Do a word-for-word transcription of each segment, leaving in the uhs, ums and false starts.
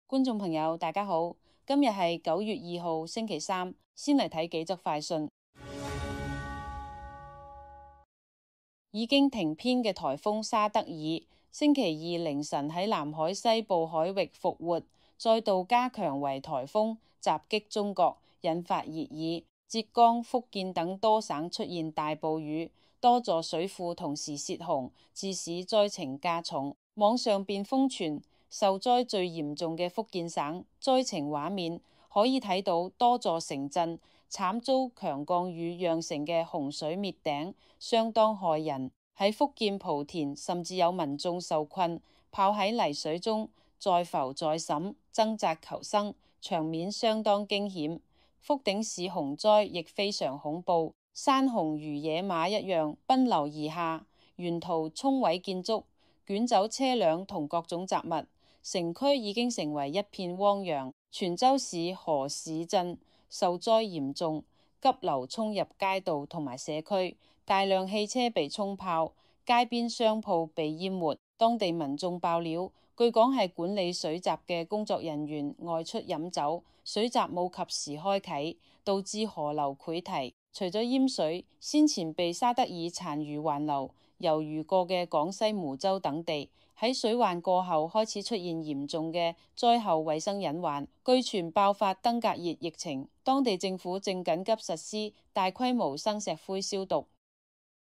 觀眾朋友，大家好，今日係九月二號星期三，先嚟睇幾則快訊。已經停編嘅颱風沙德爾，星期二凌晨喺南海西部海域復活，再度加強為颱風，襲擊中國，引發熱議。浙江、福建等多省出現大暴雨，多座水庫同時泄洪，致使災情加重。網上便瘋傳受災最嚴重嘅福建省災情畫面，可以睇到多座城鎮慘遭強降雨釀成嘅洪水滅頂，相當駭人。喺福建莆田，甚至有民眾受困，泡喺泥水中，再浮再沈，掙扎求生，場面相當驚險。福鼎市洪災亦非常恐怖，山洪如野馬一樣奔流而下，沿途沖毀建築，捲走車輛同各種雜物，城區已經成為一片汪洋。泉州市河市鎮受災嚴重，急流沖入街道同埋社區，大量汽車被沖泡，街邊商鋪被淹沒。當地民眾爆料，據講係管理水閘嘅工作人員外出飲酒，水閘冇及時開啟，導致河流潰堤。除咗淹水，先前被沙德爾殘餘環流猶豫過嘅廣西梧州等地，喺水患過後開始出現嚴重嘅災後衛生隱患，據傳爆發登革熱疫情。當地政府正緊急實施大規模生石灰消毒。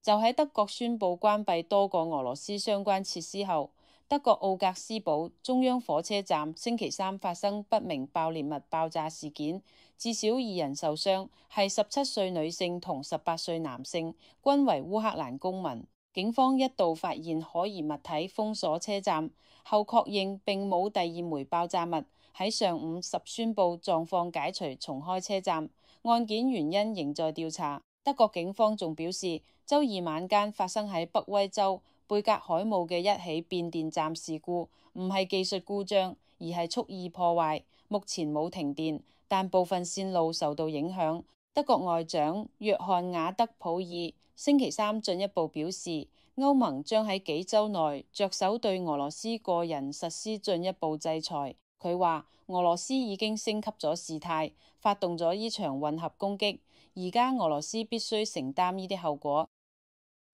就喺德國宣布關閉多個俄羅斯相關設施後，德國奧格斯堡中央火車站星期三發生不明爆裂物爆炸事件，至少二人受傷，係十七歲女性同十八歲男性，均為烏克蘭公民。警方一度發現可疑物體，封鎖車站，後確認並冇第二枚爆炸物。喺上午十宣布狀況解除，重開車站。案件原因仍在調查。德國警方仲表示，周二晚間發生喺北威州貝格海姆嘅一起變電站事故，唔係技術故障，而係蓄意破壞。目前冇停電，但部分線路受到影響。德國外長約翰瓦德普爾星期三進一步表示，歐盟將喺幾週內着手對俄羅斯個人實施進一步制裁。佢話俄羅斯已經升級咗事態，發動咗呢場混合攻擊，而家俄羅斯必須承擔呢啲後果。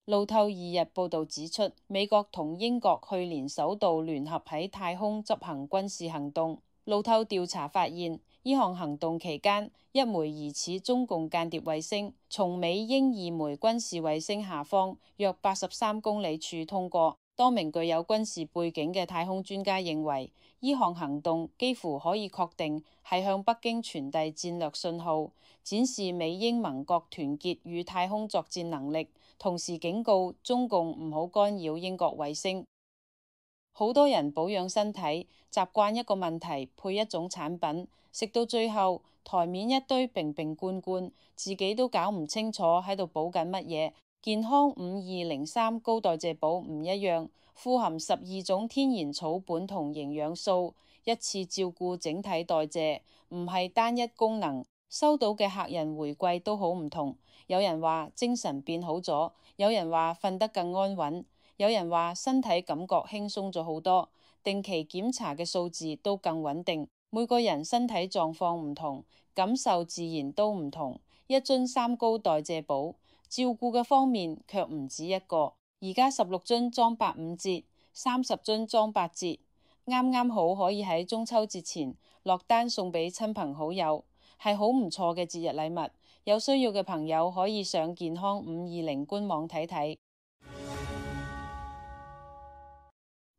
路透二日報道指出，美國同英國去年首度聯合喺太空執行軍事行動。路透調查發現，呢項行動期間，一枚疑似中共間諜衛星從美英二枚軍事衛星下方約八十三公里處通過。多名具有軍事背景嘅太空專家認為，呢項行動幾乎可以確定係向北京傳遞戰略信號，展示美英盟國團結與太空作戰能力，同時警告中共唔好干擾英國衛星。好多人保養身體，習慣一個問題配一種產品，食到最後台面一堆瓶瓶罐罐，自己都搞唔清楚喺度補緊乜嘢。健康五二零三高代謝寶唔一樣，富含十二種天然草本同營養素，一次照顧整體代謝，唔係單一功能。收到嘅客人回饋都好唔同，有人話精神變好咗，有人話瞓得更安穩，有人話身體感覺輕鬆咗好多，定期檢查嘅數字都更穩定。每個人身體狀況唔同，感受自然都唔同。一樽三高代謝寶，照顧嘅方面卻唔止一個。而家十六樽裝八五折，三十樽裝八折，啱啱好可以喺中秋節前落單送俾親朋好友，係好唔錯嘅節日禮物。有需要嘅朋友可以上健康五二零官網睇睇。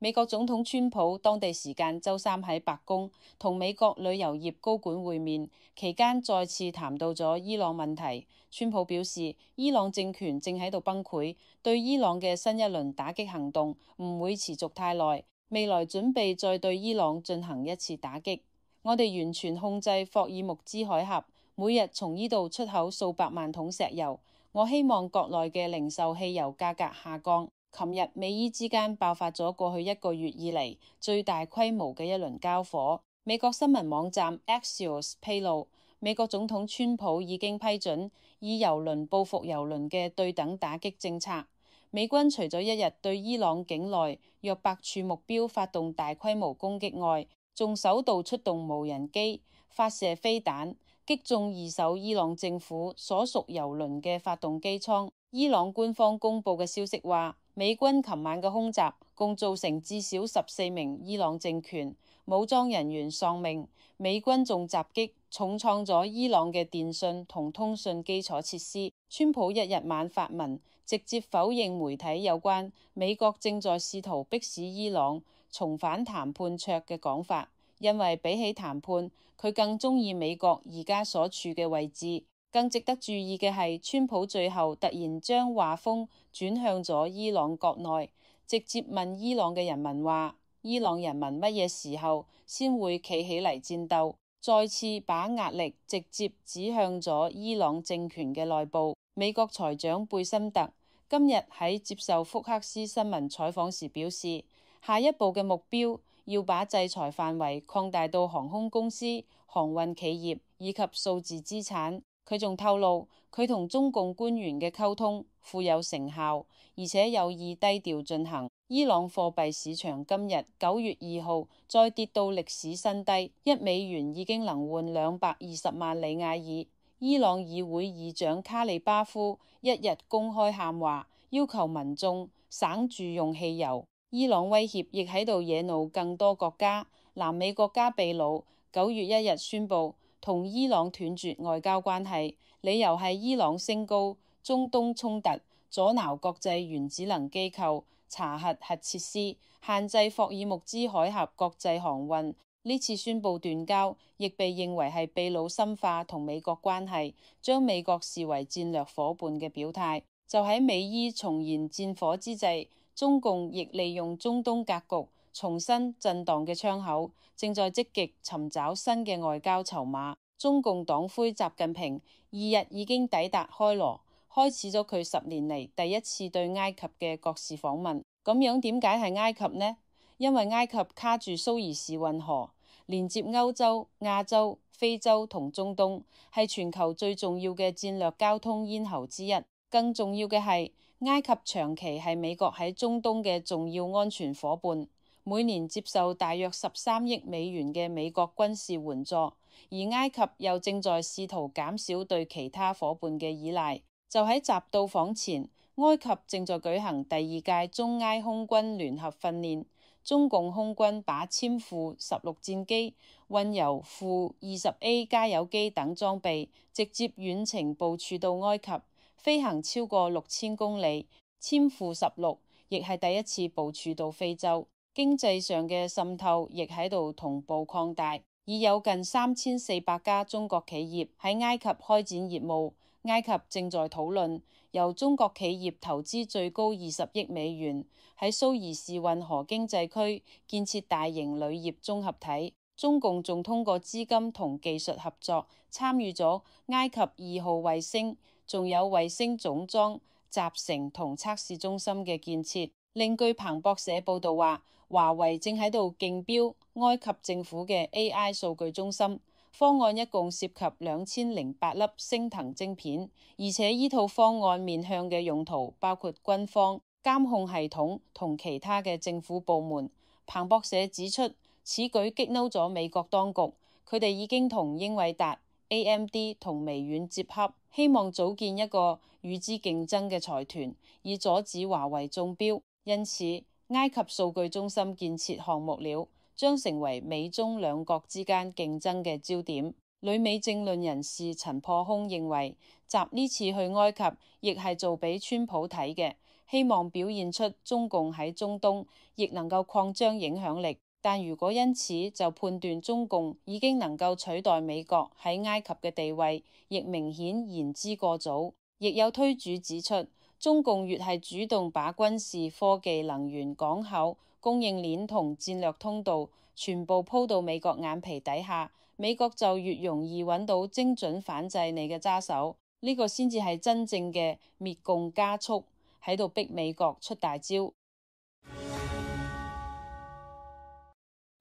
美國總統川普當地時間周三喺白宮同美國旅遊業高管會面，期間再次談到咗伊朗問題。川普表示，伊朗政權正喺度崩潰，對伊朗嘅新一輪打擊行動唔會持續太耐，未來準備再對伊朗進行一次打擊。我哋完全控制霍爾木茲海峽，每日從呢度出口數百萬桶石油。我希望國內嘅零售汽油價格下降。琴日美伊之間爆發咗過去一個月以嚟最大規模嘅一輪交火。美國新聞網站 Axios 披露，美國總統川普已經批准以油輪報復油輪嘅對等打擊政策。美軍除咗一日對伊朗境內約百處目標發動大規模攻擊外，仲首度出動無人機發射飛彈，擊中二艘伊朗政府所屬油輪嘅發動機艙。伊朗官方公佈嘅消息話，美軍琴晚嘅空襲共造成至少十四名伊朗政權武裝人員喪命。美軍仲襲擊重創咗伊朗嘅電信同通訊基礎設施。川普一日晚發文，直接否認媒體有關美國正在試圖迫使伊朗重返談判桌嘅講法，因為比起談判，佢更鍾意美國而家所處嘅位置。更值得注意嘅係，川普最後突然將話鋒轉向咗伊朗國內，直接問伊朗嘅人民話：伊朗人民乜嘢時候先會企起嚟戰鬥？再次把壓力直接指向咗伊朗政權嘅內部。美國財長貝森特今日喺接受福克斯新聞採訪時表示，下一步嘅目標要把制裁範圍擴大到航空公司、航運企業以及數字資產。佢仲透露，佢同中共官員嘅溝通富有成效，而且有意低調進行。伊朗貨幣市場今日九月二號再跌到歷史新低，一美元已經能換兩百二十萬里亞爾。伊朗議會議長卡利巴夫一日公開喊話，要求民眾省住用汽油。伊朗威脅亦喺度惹怒更多國家。南美國家秘魯九月一日宣布同伊朗斷絕外交關係，理由係伊朗升高中東衝突，阻撓國際原子能機構查核核設施，限制霍爾木茲海峽國際航運。呢次宣布斷交，亦被認為係秘魯深化同美國關係，將美國視為戰略夥伴嘅表態。就喺美伊重燃戰火之際，中共亦利用中東格局重新震盪嘅窗口，正在積極尋找新嘅外交籌碼。中共黨魁習近平二日已經抵達開羅，開始咗佢十年嚟第一次對埃及嘅國事訪問。咁樣點解係埃及呢？因為埃及卡住蘇伊士運河，連接歐洲、亞洲、非洲同中東，係全球最重要嘅戰略交通咽喉之一。更重要嘅係，埃及長期係美國喺中東嘅重要安全夥伴，每年接受大約十三億美元嘅美國軍事援助，而埃及又正在試圖減少對其他夥伴嘅依賴。就喺習到訪前，埃及正在舉行第二屆中埃空軍聯合訓練，中共空軍把殲負十六戰機、運油負二十 A 加油機等裝備直接遠程部署到埃及，飛行超過六千公里。殲負十六亦係第一次部署到非洲。經濟上嘅滲透亦喺度同步擴大，已有近三千四百家中國企業喺埃及開展業務。埃及正在討論由中國企業投資最高二十億美元喺蘇伊士運河經濟區建設大型鋁業綜合體。中共仲通過資金同技術合作參與咗埃及二號衛星，仲有衛星總裝、集成同測試中心嘅建設。另據彭博社報道話，華為正喺度競標埃及政府嘅 A I 數據中心。方案一共涉及兩千零八粒星騰晶片，而且依套方案面向嘅用途包括軍方、監控系統同其他嘅政府部門。彭博社指出，此舉激嬲咗美國當局，佢哋已經同英偉達、A M D 同微軟接洽，希望組建一個與之競爭嘅財團，以阻止華為中標。因此，埃及數據中心建設項目了將成為美中兩國之間競爭嘅焦點。旅美政論人士陳破空認為，習呢次去埃及亦係做俾川普睇嘅，希望表現出中共喺中東亦能夠擴張影響力。但如果因此就判斷中共已經能夠取代美國喺埃及嘅地位，亦明顯言之過早。亦有推主指出，中共越係主動把軍事、科技、能源、港口、供應鏈同戰略通道全部鋪到美國眼皮底下，美國就越容易揾到精準反制你嘅揸手。呢、這個先至係真正嘅滅共加速，喺度逼美國出大招。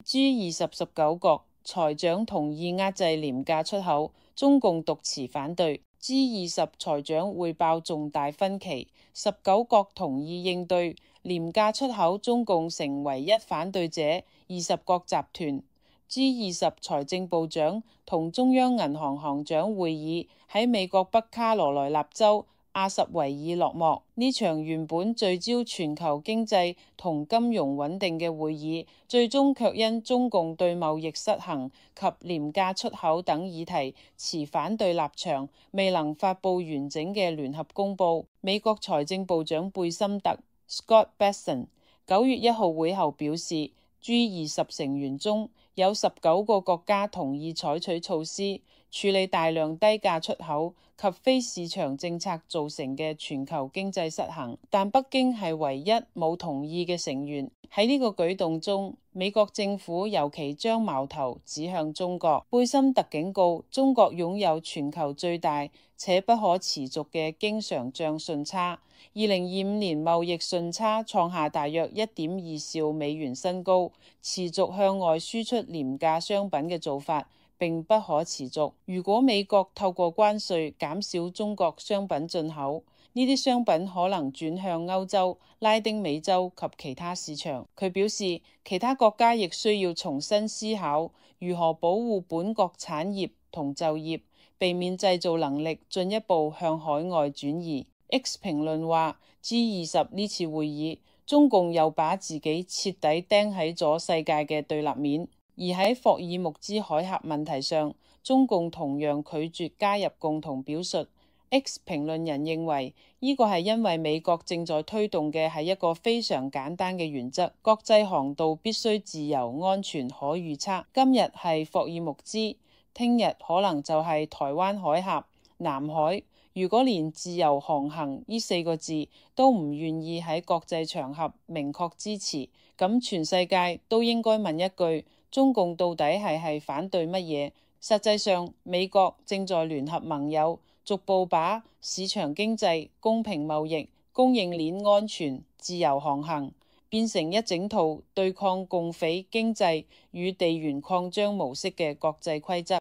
G 二十十九國財長同意壓制廉價出口，中共獨持反對。G 二十財長匯報重大分歧，十九國同意應對廉價出口，中共成唯一反對者。二十國集團 G 二十財政部長同中央銀行行長會議喺美國北卡羅來納州阿什維爾落幕。呢場原本聚焦全球經濟同金融穩定嘅會議，最終卻因中共對貿易失衡及廉價出口等議題持反對立場，未能發布完整嘅聯合公報。美國財政部長貝森特 Scott Bessent 九月一號會後表示， G 二十成員中有十九個國家同意採取措施處理大量低價出口及非市場政策造成嘅全球經濟失衡，但北京係唯一冇同意嘅成員。喺呢個舉動中，美國政府尤其將矛頭指向中國。貝森特警告，中國擁有全球最大且不可持續嘅經常帳順差，二零二五年貿易順差創下大約一點二兆美元新高，持續向外輸出廉價商品嘅做法並不可持續。如果美國透過關稅減少中國商品進口，呢啲商品可能轉向歐洲、拉丁美洲及其他市場。佢表示，其他國家亦需要重新思考如何保護本國產業同就業，避免製造能力進一步向海外轉移。X 評論話 G 二十呢次會議，中共又把自己徹底釘喺咗世界嘅對立面。而喺霍爾木茲海峽問題上，中共同樣拒絕加入共同表述。X 評論人認為，呢個係因為美國正在推動嘅係一個非常簡單嘅原則：國際航道必須自由、安全、可預測。今日係霍爾木茲，聽日可能就係台灣海峽、南海。如果連自由航行呢四個字都唔願意喺國際場合明確支持，咁全世界都應該問一句：中共到底係係反對乜嘢？實際上，美國正在聯合盟友，逐步把市場經濟、公平貿易、供應鏈安全、自由航行變成一整套對抗共匪經濟與地緣擴張模式嘅國際規則。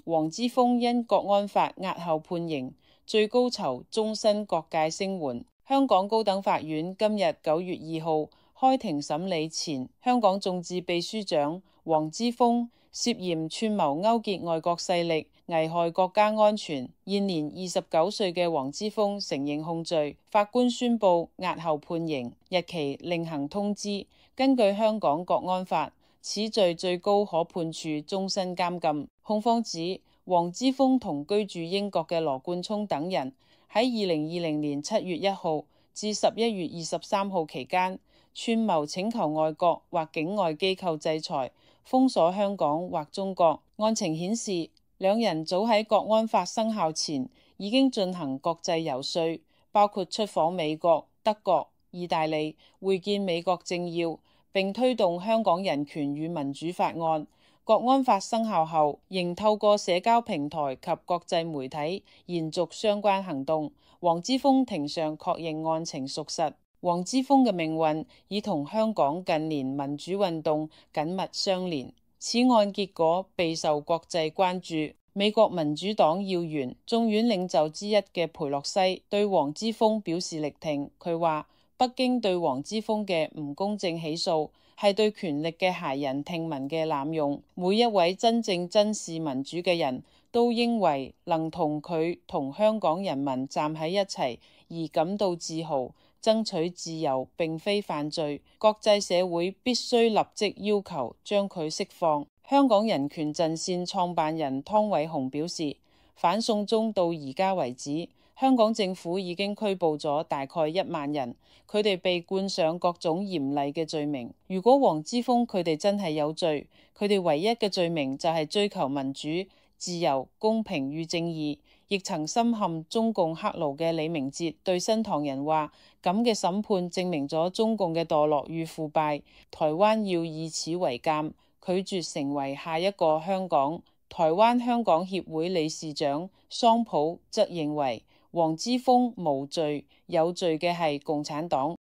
黃之鋒因國安法押後判刑，最高囚終身各界聲援。香港高等法院今日九月二號開庭審理前香港眾志秘書長黃之鋒涉嫌串謀勾結外國勢力，危害國家安全。現年二十九歲嘅黃之鋒承認控罪，法官宣布押後判刑，日期另行通知。根據香港國安法，此罪最高可判處終身監禁。控方指黃之鋒同居住英國嘅羅冠聰等人喺二零二零年七月一號至十一月二十三號期間，串謀請求外國或境外機構制裁、封鎖香港或中國。案情顯示，兩人早喺國安法生效前已經進行國際遊說，包括出訪美國、德國、意大利，會見美國政要，並推動香港人權與民主法案。國安法生效後，仍透過社交平台及國際媒體延續相關行動。黃之鋒庭上確認案情屬實。黃之鋒嘅命運已同香港近年民主運動緊密相連。此案結果備受國際關注。美國民主黨要員、眾院領袖之一嘅裴洛西對黃之鋒表示力挺。佢話：北京對黃之鋒嘅唔公正起訴係對權力嘅駭人聽聞嘅濫用。每一位真正珍視民主嘅人都認為能同佢同香港人民站喺一齊而感到自豪。爭取自由並非犯罪，國際社會必須立即要求將佢釋放。香港人權陣線創辦人湯偉雄表示，反送中到而家為止，香港政府已經拘捕咗大概一萬人，佢哋被冠上各種嚴厲嘅罪名。如果黃之鋒佢哋真係有罪，佢哋唯一嘅罪名就係追求民主、自由、公平與正義。亦曾深陷中共黑牢嘅李明哲對新唐人話：咁嘅審判證明咗中共嘅墮落與腐敗，台灣要以此為鑑，拒絕成為下一個香港。台灣香港協會理事長桑普則認為黃之鋒無罪，有罪嘅係共產黨。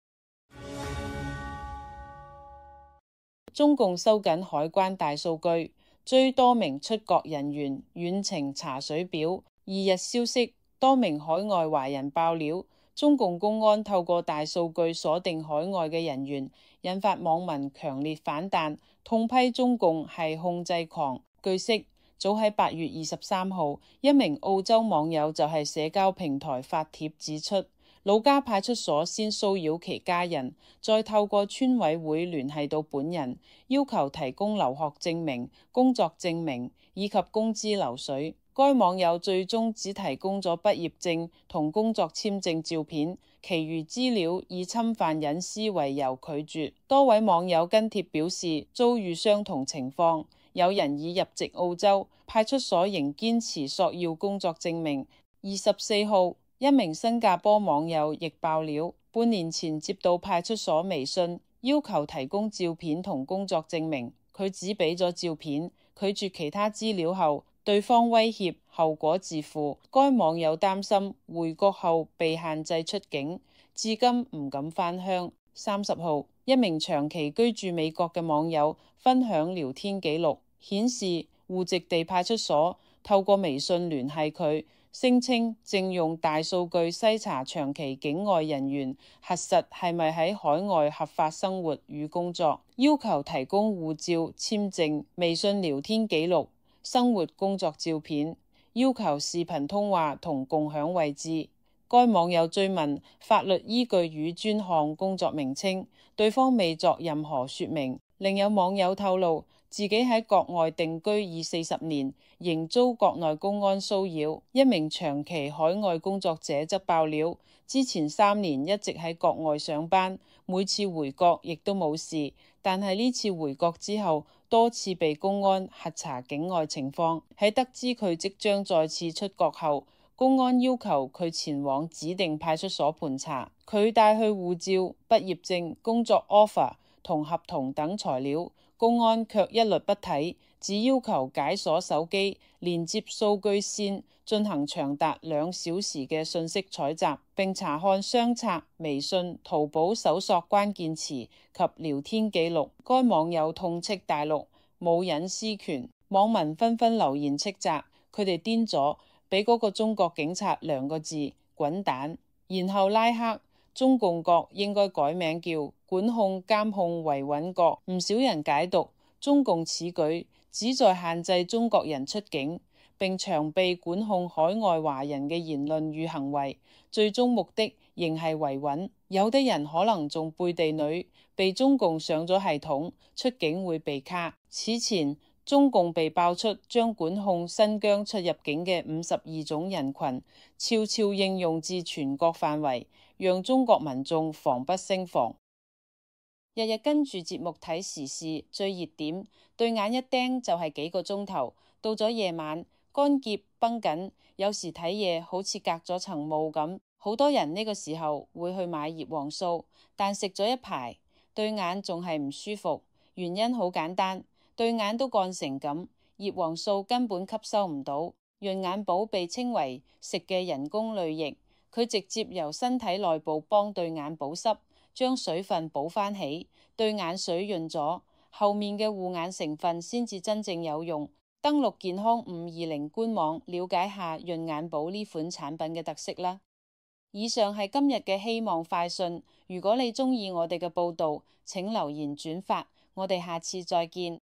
中共收緊海關大數據，追多名出國人員遠程查水表。二日消息，多名海外華人爆料，中共公安透過大數據鎖定海外嘅人員，引發網民強烈反彈，痛批中共係控制狂。據悉，早喺八月二十三號，一名澳洲網友就係社交平台發帖指出，老家派出所先騷擾其家人，再透過村委會聯繫到本人，要求提供留學證明、工作證明以及工資流水。該網友最終只提供咗畢業證同工作簽證照片，其餘資料以侵犯隱私為由拒絕。多位網友跟帖表示遭遇相同情況，有人已入籍澳洲，派出所仍堅持索要工作證明。二十四號，一名新加坡網友亦爆料，半年前接到派出所微信，要求提供照片同工作證明，佢只俾咗照片，拒絕其他資料後，對方威脅後果自負。該網友擔心回國後被限制出境，至今唔敢返鄉。三十號，一名長期居住美國嘅網友分享聊天記錄，顯示戶籍地派出所透過微信聯繫佢，聲稱正用大數據篩查長期境外人員，核實係咪喺海外合法生活與工作，要求提供護照、簽證、微信聊天記錄、生活工作照片，要求視頻通話同共享位置。該網友追問法律依據與專項工作名稱，對方未作任何說明。另有網友透露，自己喺國外定居已四十年，仍遭國內公安騷擾。一名長期海外工作者則爆料，之前三年一直喺國外上班，每次回國亦都冇事，但係呢次回國之後，多次被公安核查境外情況。喺得知佢即將再次出國後，公安要求佢前往指定派出所盤查，佢帶去護照、畢業證、工作 offer 同合同等材料，公安卻一律不睇，只要求解鎖手機，連接數據線，進行長達兩小時嘅信息採集，並查看相冊、微信、淘寶搜索關鍵詞及聊天記錄。該網友痛斥大陸冇隱私權，網民紛紛留言斥責佢哋癲咗，俾嗰個中國警察兩個字滾蛋，然後拉黑。中共國應該改名叫管控監控維穩國。唔少人解讀中共此舉旨在限制中國人出境，並長臂管控海外華人嘅言論與行為，最終目的仍係維穩。有的人可能仲背地裏被中共上咗系統，出境會被卡。此前中共被爆出將管控新疆出入境嘅五十二種人群悄悄應用至全國範圍，讓中國民眾防不勝防。日日跟住節目睇時事最熱點，對眼一盯就係幾個鐘頭。到咗夜晚，乾澀繃緊，有時睇嘢好似隔咗層霧咁。好多人呢個時候會去買葉黃素，但食咗一排，對眼仲係唔舒服。原因好簡單，對眼都乾成咁，葉黃素根本吸收唔到。潤眼寶被稱為食嘅人工淚液，佢直接由身體內部幫對眼保濕，將水分補翻起，對眼水潤咗，後面嘅護眼成分先至真正有用。登錄健康五二零官網，了解下潤眼寶呢款產品嘅特色啦。以上係今日嘅希望快訊，如果你鍾意我哋嘅報道，請留言轉發，我哋下次再見。